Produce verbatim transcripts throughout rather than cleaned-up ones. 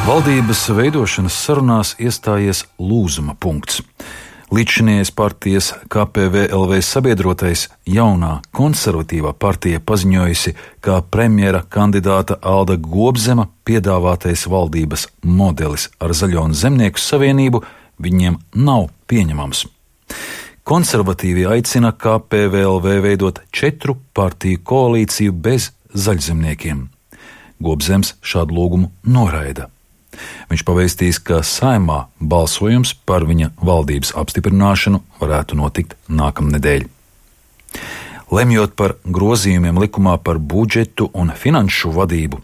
Valdības veidošanas sarunās iestājies lūzuma punkts. Līdzšinējais partijas K P V L V sabiedrotais jaunā konservatīvā partija paziņojusi, ka premjera kandidāta Alda Gobzema piedāvātais valdības modelis ar Zaļo un Zemnieku savienību viņiem nav pieņemams. Konservatīvi aicina K P V L V veidot četru partiju koalīciju bez zaļzemniekiem. Gobzems šādu lūgumu noraida. Viņš pavēstīs, ka Saeimā balsojums par viņa valdības apstiprināšanu varētu notikt nākamnedēļ. Lemjot par grozījumiem likumā par budžetu un finanšu vadību,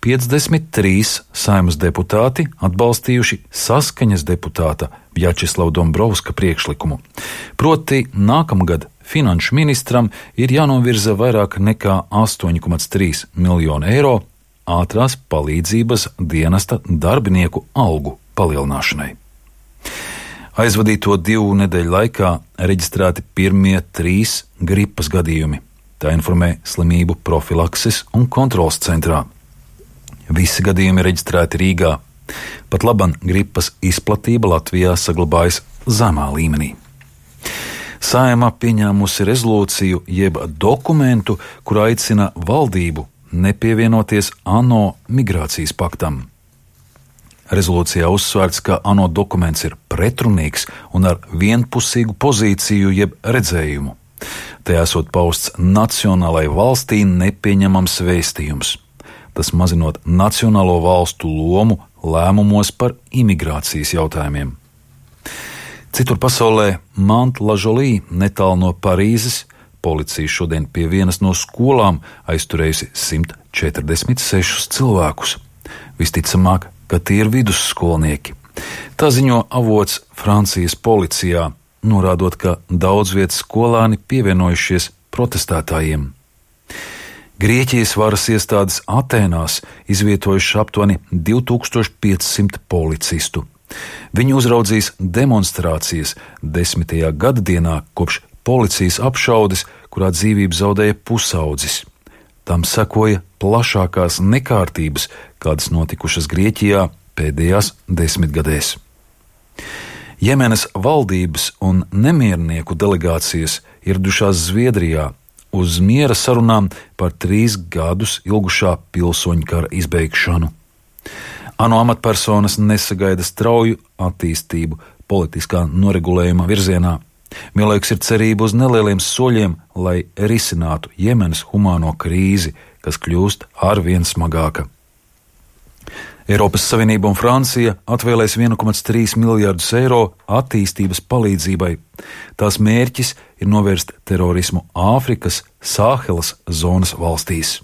piecdesmit trīs Saeimas deputāti atbalstījuši Saskaņas deputāta Vjačeslava Dombrovska priekšlikumu. Proti, nākamgad finanšu ministram ir jānovirza vairāk nekā astoņi komats trīs miljonu eiro ātrās palīdzības dienesta darbinieku algu palielināšanai. Aizvadīto divu nedēļu laikā reģistrēti pirmie trīs gripas gadījumi. Tā informē Slimību profilakses un kontroles centrā. Visi gadījumi reģistrēti Rīgā. Pat laban gripas izplatība Latvijā saglabājas zemā līmenī. Saeima pieņēmusi rezolūciju jeb dokumentu, kur aicina valdību nepievienoties ANO migrācijas paktam. Rezolūcijā uzsvērts, ka ANO dokuments ir pretrunīgs un ar vienpusīgu pozīciju jeb redzējumu. Tajā esot pausts nacionālai valstī nepieņemams vēstījums. Tas mazinot nacionālo valstu lomu lēmumos par imigrācijas jautājumiem. Citur pasaulē Mont-la-Jolie netālu no Parīzes policija šodien pie vienas no skolām aizturējusi simt četrdesmit sešus cilvēkus. Visticamāk, ka tie ir vidusskolnieki. Tā ziņo avots Francijas policijā, norādot, ka daudz vietas skolāni pievienojušies protestētājiem. Grieķijas varas iestādes Atēnās izvietojuši aptuveni divi tūkstoši piecsimt policistu. Viņi uzraudzīs demonstrācijas desmitajā gadadienā kopš policijas apšaudes, kurā dzīvību zaudēja pusaudzis. Tam sekoja plašākās nekārtības, kādas notikušas Grieķijā pēdējās desmitgadēs. Jemenas valdības un nemiernieku delegācijas ieradušās Zviedrijā uz miera sarunām par trīs gadus ilgušā pilsoņu kara izbeigšanu. ANO amatpersonas nesagaida strauju attīstību politiskā noregulējuma virzienā. Vienlaikus ir cerība uz nelieliem soļiem, lai risinātu Jemenas humāno krīzi, kas kļūst arvien smagāka. Eiropas Savienība un Francija atvēlēs viens komats trīs miljardus eiro attīstības palīdzībai. Tās mērķis ir novērst terorismu Āfrikas Sāhelas zonas valstīs.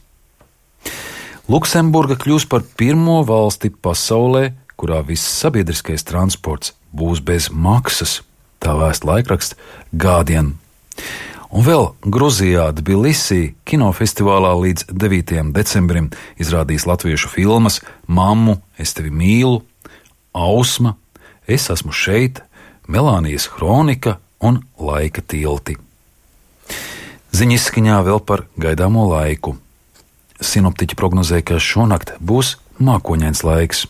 Luksemburga kļūs par pirmo valsti pasaulē, kurā viss sabiedriskais transports būs bez maksas. Tā vēsta laikraksts Guardian. Un vēl Gruzijā Tbilisī kinofestivālā līdz devītajam decembrim izrādīs latviešu filmas Mammu, es tevi mīlu, Ausma, Es esmu šeit, Melānijas kronika un Laika tilti. Ziņa izskaņā vēl par gaidāmo laiku. Sinoptiķi prognozē, ka šonakt būs mākoņains laiks.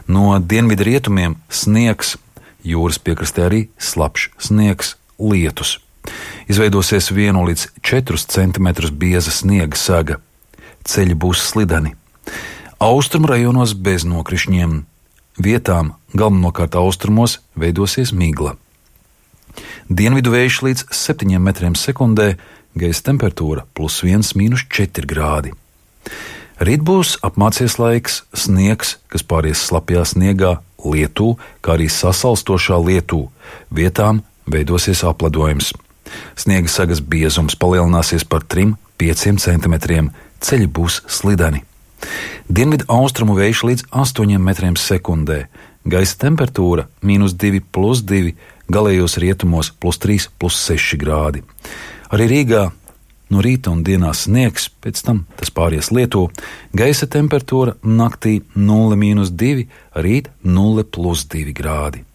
No dienvidu rietumiem sniegs, jūras piekrastē arī slapjš sniegs, lietus. Izveidosies vienu līdz četrus centimetrus bieza sniega saga. Ceļi būs slideni. Austrumu rajonos bez nokrišņiem. Vietām, galvenokārt austrumos, veidosies migla. Dienvidu vējš līdz septiņiem metriem sekundē, gaisa temperatūra plus viens mīnus četri grādi. Rīt būs apmācies laiks, sniegs, kas pāries slapjā sniegā, lietū, kā arī sasalstošā lietū. Vietām veidosies apledojums. Sniega sagas biezums palielināsies par trim līdz pieciem centimetriem, ceļi būs slideni. Dienvidu austrumu vējš līdz astoņiem metriem sekundē, gaisa temperatūra mīnus divi plus divi, galējos rietumos plus trīs plus seši grādi. Arī Rīgā no rīta un dienā sniegs, pēc tam tas pāries lietū, gaisa temperatūra naktī nulle mīnus divi, rīt nulle plus divi grādi.